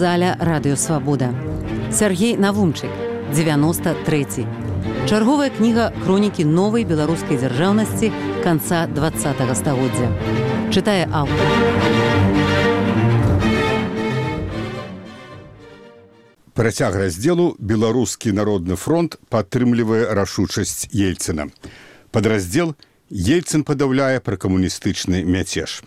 заля Радыё Свабода. Сергей Навумчык, 93. Чарговая кніга хронікі новай беларускай дзяржаўнасці канца 20-го стагоддзя. Чытае аўтар. Працяг раздзелу «Беларускі народны фронт падтрымлівае рашучасць Ельцына». Падраздзел «Ельцын падаўляе пракамуністычны мяцеж».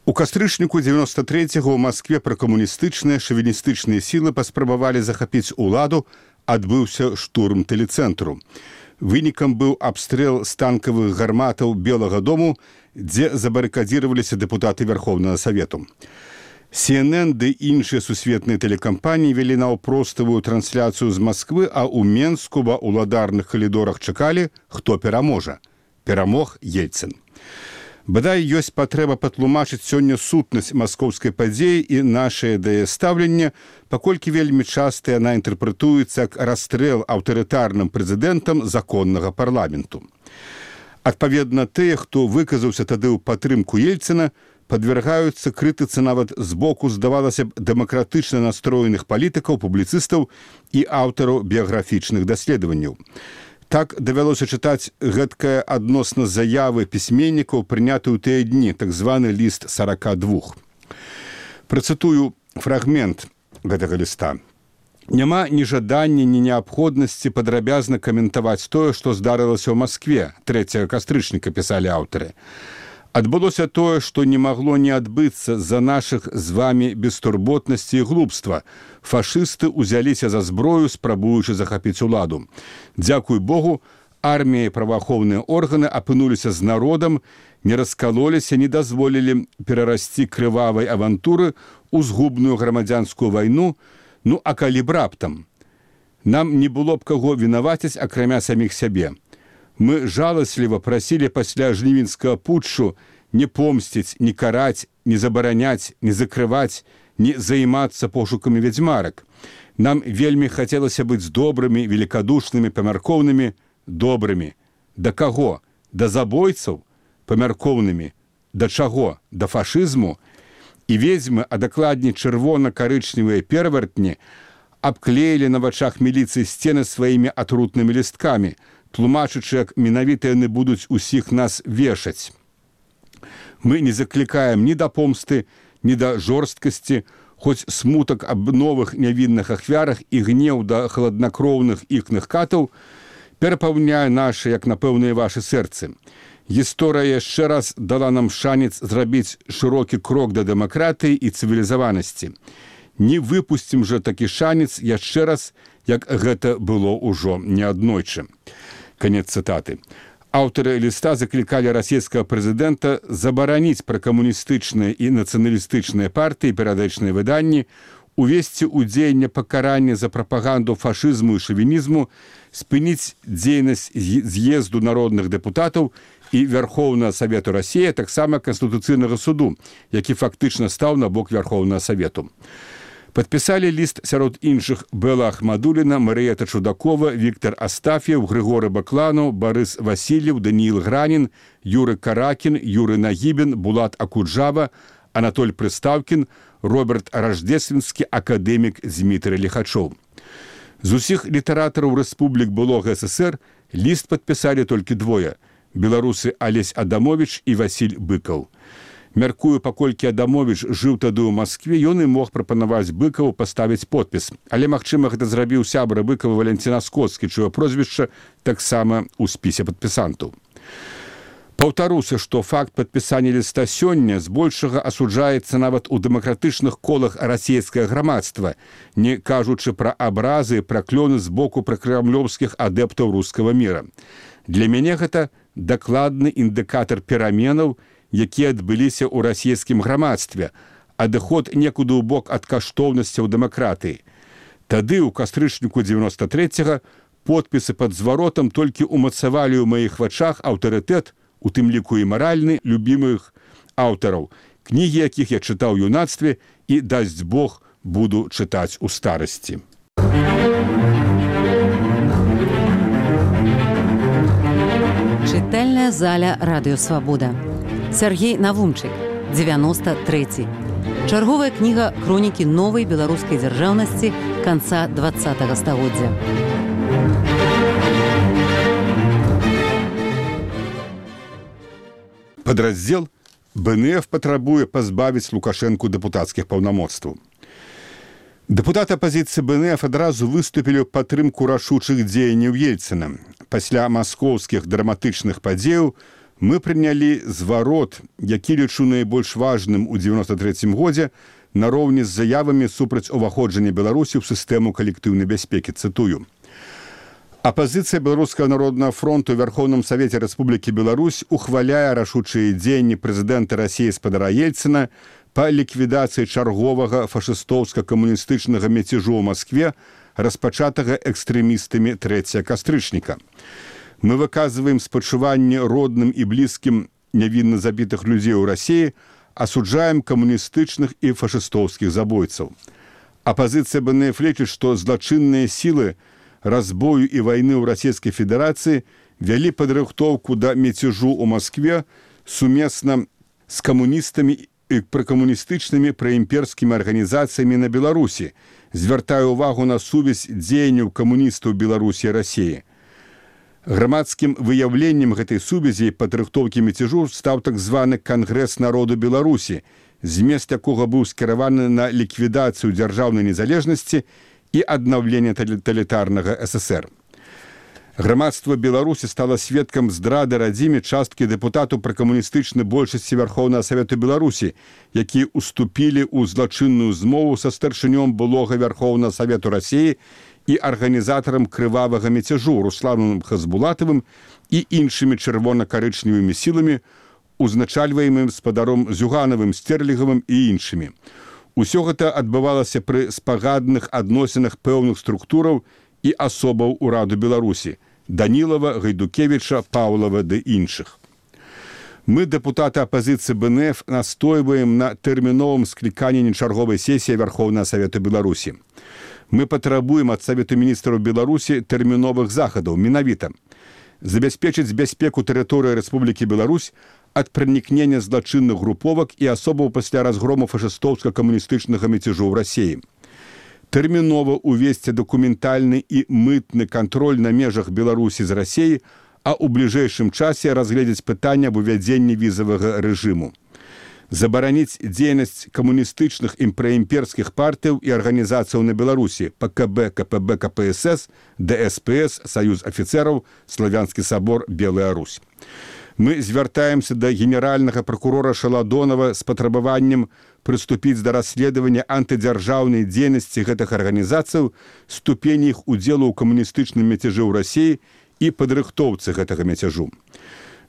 У кастрычніку 93-го ў Маскве пракамуністычныя шавіністычныя сілы паспрабавалі захапіць уладу, адбыўся штурм тэлецэнтру. Вынікам быў абстрэл з танкавых гарматаў Белага дому, дзе забарыкадзіраваліся дэпутаты Верховнага Савету. CNN ды іншыя сусветныя тэлекампаніі вялі наўпроставую трансляцыю з Масквы, а ў Менску ва ўладарных калідорах чакалі, хто пераможа. Перамог Ельцын. Бадай, ёсць патрэба патлумачыць сёння сутнасць маскоўскай падзеі і нашае да яе стаўленне, паколькі вельмі часта яна інтэрпрэтуецца як расстрэл аўтарытарным прэзідэнтам законнага парламенту. Адпаведна, тыя, хто выказаўся тады ў падтрымку Ельцына, падвяргаюцца крытыцы нават з боку, здавалася б, дэмакратычна настроеных палітыкаў, публіцыстаў і аўтараў біяграфічных даследаванняў. Так давялося чытаць гэткае адносна заявы пісьменнікаў, прынятую тыя дні, так званы ліст 42. Працытую фрагмент гэтага ліста. Няма ні жадання, ні неабходнасці падрабязна каментаваць тое, што здарылася ў Маскве, 3 кастрычніка, пісалі аўтары. Адбылося тое, што не магло не адбыцца з-за нашых з вамі бестурботнасці і глупства. Фашысты ўзяліся за зброю, спрабуючы захапіць уладу. Дзякуй Богу, армія і праваахоўныя органы апынуліся з народам, не раскалоліся, не дазволілі перарасці крывавай авантуры ў згубную грамадзянскую вайну, ну а калі б раптам. Нам не было б каго вінаваціць, акрамя саміх сябе. Мы жаласліва прасілі пасля жнівеньскага путчу не помсціць, не караць, не забараняць, не закрываць, не займацца пошукамі вядзьмарак. Нам вельмі хацелася быць добрымі, великадушнымі, памяркоўнымі, добрымі. Да каго? Да забойцаў? Памяркоўнымі. Да чаго? Да фашызму? І ведзьмы, а дакладней чырвона-карычневыя перавартні, абклеілі на вачах міліцыі сцены сваімі атрутнымі лісткамі, тлумачачы, як менавіта яны будуць усіх нас вешаць. Мы не заклікаем ні да помсты, ні да жорсткасці, хоць смутак аб новых нявінных ахвярах і гнеў да хладнакроўных іхных катаў перапаўняе нашы, як напэўна, і вашы сэрцы. Гісторыя яшчэ раз дала нам шанец зрабіць шырокі крок да дэмакратыі і цывілізаванасці. Не выпусцім жа такі шанец яшчэ раз, як гэта было ўжо неаднойчы. Канец цытаты. Аўтары ліста заклікалі расійскага прэзідэнта забараніць пракамуністычныя і нацыяналістычныя партыі, перыядычныя выданні, увесці ў дзеянне пакарання за прапаганду фашызму і шавінізму, спыніць дзейнасць з'езду народных дэпутатаў і Верховнага Савету Расіі, таксама Канстытуцыйнага суду, які фактычна стаў на бок Верховнага Савету. Падпісалі ліст сярод іншых Бэла Ахмадуліна, Марыета Чудакова, Віктор Астаф'ев, Григоры Бакланов, Барыс Васильев, Даніил Гранін, Юры Каракін, Юры Нагібін, Булат Акуджава, Анатоль Прыстаўкін, Роберт Раждественскі, акадэмік Змітрый Лихачоў. З усіх літаратараў рэспублік былога СССР ліст падпісалі толькі двое – беларусы Алесь Адамович і Васіль Быкаў. Мяркую, паколькі Адамович жыў тады ў Маскве, ён і мог прапанаваць Быкаву паставіць подпіс. Але, магчыма, гэта зрабіў сябра Быкава Валянцін Аскоцкі, чыё прозвішча таксама ў спісе падпісантаў. Паўтаруся, што факт падпісання ліста сёння збольшага асуджаецца нават у дэмакратычных колах расійскае грамадства, не кажучы пра абразы і праклёны з боку пракрамлёўскіх адэптаў рускага міра. Для мяне гэта дакладны індыкатар пераменаў, якія адбыліся ў расійскім грамадстве, адыход некуды ў бок ад каштоўнасцяў дэмакратыі. Тады, у кастрычніку 93-го, подпісы пад зваротам толькі умацавалі ў маіх вачах аўтарытэт, у тым ліку і маральны, любімых аўтараў, кнігі якіх я чытаў у юнацтве і, дасць Бог, буду чытаць у старасці. Чытальная заля Радыё Свабода. Сергей Навумчык, 93. Чарговая кніга хронікі новай беларускай дзяржаўнасці канца 20-го стагоддзя. Падраздзел БНФ патрабуе пазбавіць Лукашэнку дэпутацкіх паўнамоцтваў. Дэпутаты апазіцыі БНФ адразу выступілі ў падтрымку рашучых дзеянняў Ельцына. Пасля маскоўскіх драматычных падзеяў мы прынялі зварот, які лічу найбольш важным у 93-м годзе, нароўні з заявамі супраць уваходжання Беларусі ў сістэму калектыўнай бяспекі. Цытую. Апазіцыя Беларускага народнага фронту ў Вярхоўным Савеце Рэспублікі Беларусь ухваляе рашучыя дзеянні прэзідэнта Расіі спадара Ельцына па ліквідацыі чарговага фашыстоўска-камуністычнага мяцежу ў Маскве, распачатага экстрэмістамі 3 кастрычніка. Мы выказываем спачуванне родным і блізкім нявінна забітых людзей у Расіі, асуджаем камуністычных і фашыстоўскіх забойцаў. Апазіцыя БНФ лічыць, што злачынныя сілы разбою і вайны ў Расійскай Федэрацыі вялі падрыхтоўку да мяцежу ў Маскве сумесна з камуністамі і пракамуністычнымі праімперскімі арганізацыямі на Беларусі, звяртае ўвагу на сувязь дзеянняў камуністаў Беларусі і Расіі. Грамадскім выяўленнем гэтай сувязі і падрыхтоўкі мяцежу стаў так званы Кангрэс народу Беларусі, змест якога быў скіраваны на ліквідацыю дзяржаўнай незалежнасці і аднаўленне таталітарнага ССР. Грамадства Беларусі стала сведкам здрады радзіме часткі дэпутатаў пракамуністычнай большасці Вярхоўнага Савету Беларусі, якія уступілі ў злачынную змову са старшынём былога Вярхоўнага Савету Расіі і арганізатарам крывавага мяцежу Русланом Хазбулатавым і іншымі чырвона-карычневымі сіламі, узначальваемым спадаром Зюганавым, Стерлігавым і іншымі. Усё гэта адбывалася пры спагадных адносінах пэўных структураў і асобаў ураду Беларусі – Данілава, Гайдукевіча, Паўлава ды іншых. Мы, дэпутаты апазіцыі БНФ, настойваем на тэрміновым скліканні чарговай сесіі Вярхоўнага Савету Беларусі. Мы патрабуем ад Савету міністраў Беларусі тэрміновых захадаў, менавіта забяспечыць бяспеку тэрыторыі Рэспублікі Беларусь ад пранікнення злачынных груповак і асобаў пасля разгрому фашыстоўска-камуністычнага мяцежу ў Расіі. Тэрмінова увесці дакументальны і мытны кантроль на межах Беларусі з Расіі, а ў бліжэйшым часе разгледзець пытанне аб увядзенні візавага рэжыму. Забараніць дзейнасць камуністычных і праімперскіх партыяў і арганізацыяў на Беларусі ПКБ, КПБ, КПСС, ДСПС, Саюз афіцэраў, Славянскі сабор, Белая Русь. Мы звяртаемся да генеральнага пракурора Шаладонова з патрабаваннем прыступіць да расследавання антыдзяржаўнай дзейнасці гэтых арганізацыяў, ступені іх удзелу ў камуністычным мяцежы ў Расіі і падрыхтоўцы гэтага мяцежу.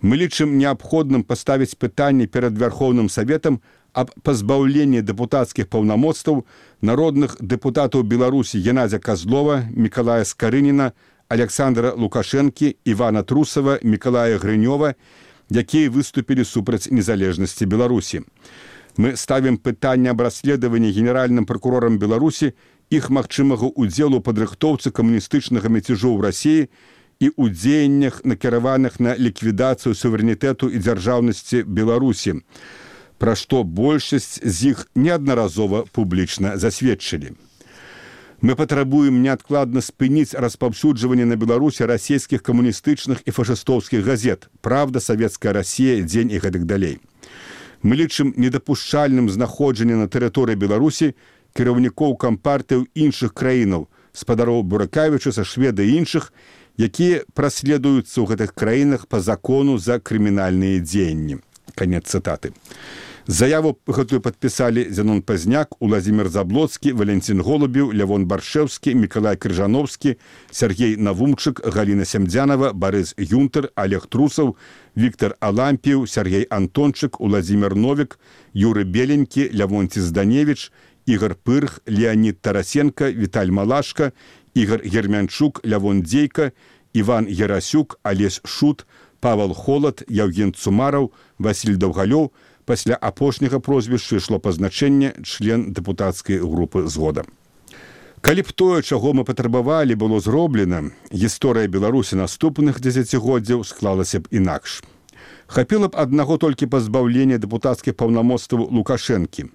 Мы лічым неабходным паставіць пытанне перад Вярхоўным Саветам аб пазбаўленні дэпутацкіх паўнамоцтваў народных дэпутатаў Беларусі Геннадзя Козлова, Мікалая Скарыніна, Александра Лукашэнкі, Івана Трусава, Мікалая Грынёва, якія выступілі супраць незалежнасці Беларусі. Мы ставім пытанне аб расследаванні генеральным пракурорам Беларусі іх магчымага удзелу падрыхтоўцы камуністычнага мяцежу ў Расіі і ў дзеяннях, накіраваных на ліквідацыю суверэнітэту і дзяржаўнасці Беларусі, пра што большасць з іх неаднаразова публічна засведчылі. Мы патрабуем неадкладна спыніць распаўсюджванне на Беларусі расійскіх камуністычных і фашыстоўскіх газет «Правда», «Савецкая Расія», «Дзень» і гэтак далей. Мы лічым недапушчальным знаходжанне на тэрыторыі Беларусі кіраўнікоў кампартыяў іншых краінаў, спадароў Буракавічуса, Шведа і іншых, якія праследуюцца ў гэтых краінах па закону за крымінальныя дзеянні. Канец цытаты. Заяву гэтую падпісалі Зянон Пазняк, Уладзімір Заблоцкі, Валентин Голубеў, Лявон Баршэўскі, Мікалай Крыжановскі, Сергей Навумчык, Галіна Сямдзянова, Барыс Юнтер, Олег Трусаў, Віктор Алампіў, Сергей Антончык, Уладзімір Новік, Юры Беленькі, Лявонці Зданевіч, Ігор Пырх, Леонид Тарасенко, Віталь Малашка, Ігор Гермянчук, Лявон Дзейка, Іван Ярасюк, Алесь Шут, Павел Холод, Яўген Цумараў, Васіль Даўгалёў. Пасля апошняга прозвішча ішло пазначэнне член дэпутацкай групы «Згода». Калі б тое, чаго мы патрабавалі, было зроблена, гісторыя Беларусі наступных дзесяцігоддзяў склалася б інакш. Хапіла б аднаго толькі пазбаўлення дэпутацкіх паўнамоцтваў Лукашэнкі.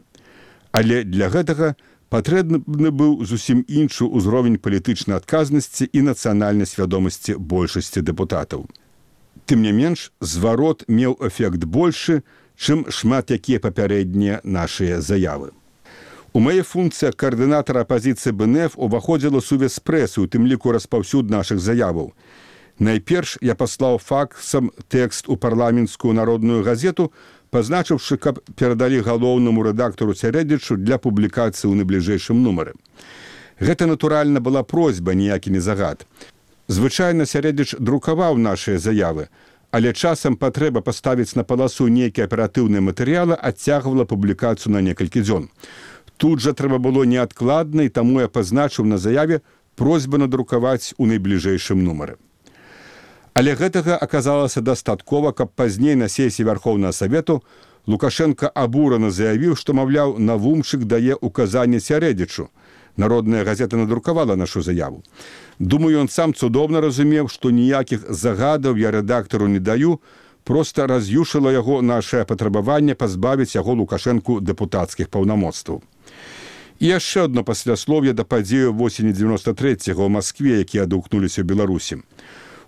Але для гэтага патрэбны быў зусім іншы ўзровень палітычнай адказнасці і нацыянальнай свядомасці большасці дэпутатаў. Тым не менш, зварот меў эфект большы, чым шмат якія папярэднія нашыя заявы. У мае функцыі каардынатара апазіцыі БНФ уваходзіла сувязь з прэсай, у тым ліку распаўсюд нашых заяваў. Найперш я паслаў факсам тэкст у парламенцкую народную газету, пазначыўшы, каб перадалі галоўнаму рэдактару Сярэдзічу для публікацыі ў найбліжэйшым нумары. Гэта, натуральна, была просьба, ніякі не загад. Звычайна Сярэдзіч друкаваў нашыя заявы, але часам патрэба паставіць на паласу нейкія аператыўныя матэрыялы адцягвала публікацыю на некалькі дзён. Тут жа трэба было неадкладна, і таму я пазначыў на заяве просьбу надрукаваць у найбліжэйшым нумары. Але гэтага аказалася дастаткова, каб пазней на сесіі Вярхоўнага Савету Лукашенко абурана заявіў, што, маўляў, Навумчык дае указанне Сярэдзічу. Народная газета надрукавала нашу заяву. Думаю, ён сам цудоўна разумеў, што ніякіх загадаў я рэдактару не даю, проста раз'юшыла яго нашае патрабаванне пазбавіць яго Лукашэнку дэпутацкіх паўнамоцтваў. І яшчэ одно пасляслов'е да падзею восені 93-го ў Маскве, якія адгукнуліся ў Беларусі.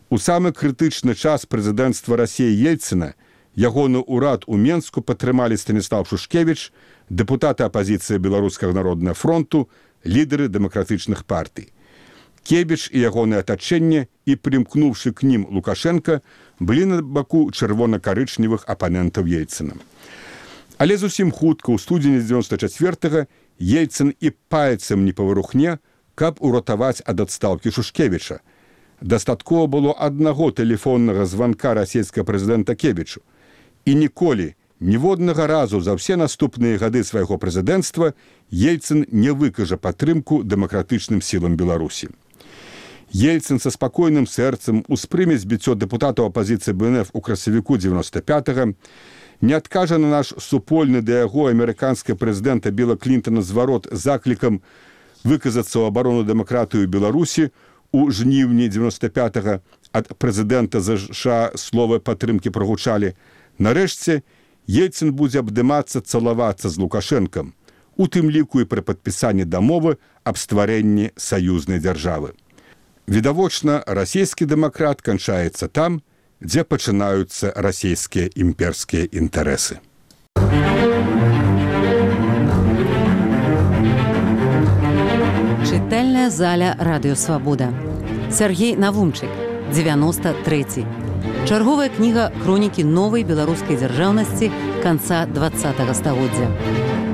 У самы крытычны час прэзідэнцтва Расіі Ельцына ягоны ўрад у Менску падтрымалі Станіслав Шушкевіч, дэпутаты апазіцыі Беларускага народнага фронту, лідары дэмакратычных партый. Кебіч і ягонае атачэнне і, прымкнуўшы к нім Лукашенка, былі на баку чырвона-карычневых апанентаў Ельцына. Але зусім хутка, ў студзені 94-го, Ельцын і пальцем не паварухне, каб уратаваць ад адстаўкі Шушкевіча. Дастаткова было аднаго тэлефоннага званка расійскага прэзідэнта Кебічу. І ніколі, ніводнага разу за ўсе наступныя гады свайго прэзідэнцтва Ельцын не выкажа падтрымку дэмакратычным сілам Беларусі. Ельцын са спакойным сэрцам успрыме збіццё дэпутатаў апазіцыі БНФ у красавіку 95-го, не адкажа на наш супольны да яго амерыканскага прэзідэнта Біла Клінтона зварот заклікам выказацца ў абарону дэмакратыю Беларусі у жніўні 95-го ад прэзідэнта США словы падтрымкі прагучалі. Нарэшце, Ельцын будзе абдымацца, цалавацца з Лукашэнкам, у тым ліку і пры падпісанні дамовы аб стварэнні саюзнай дзяржавы. Відавочна, расійскі дэмакрат канчаецца там, дзе пачынаюцца расійскія імперскія інтарэсы. Чытальная заля Радыё Свабода. Сергей Навумчык, 93. Чарговая кніга хронікі новай беларускай дзяржаўнасці канца 20-го стагоддзя.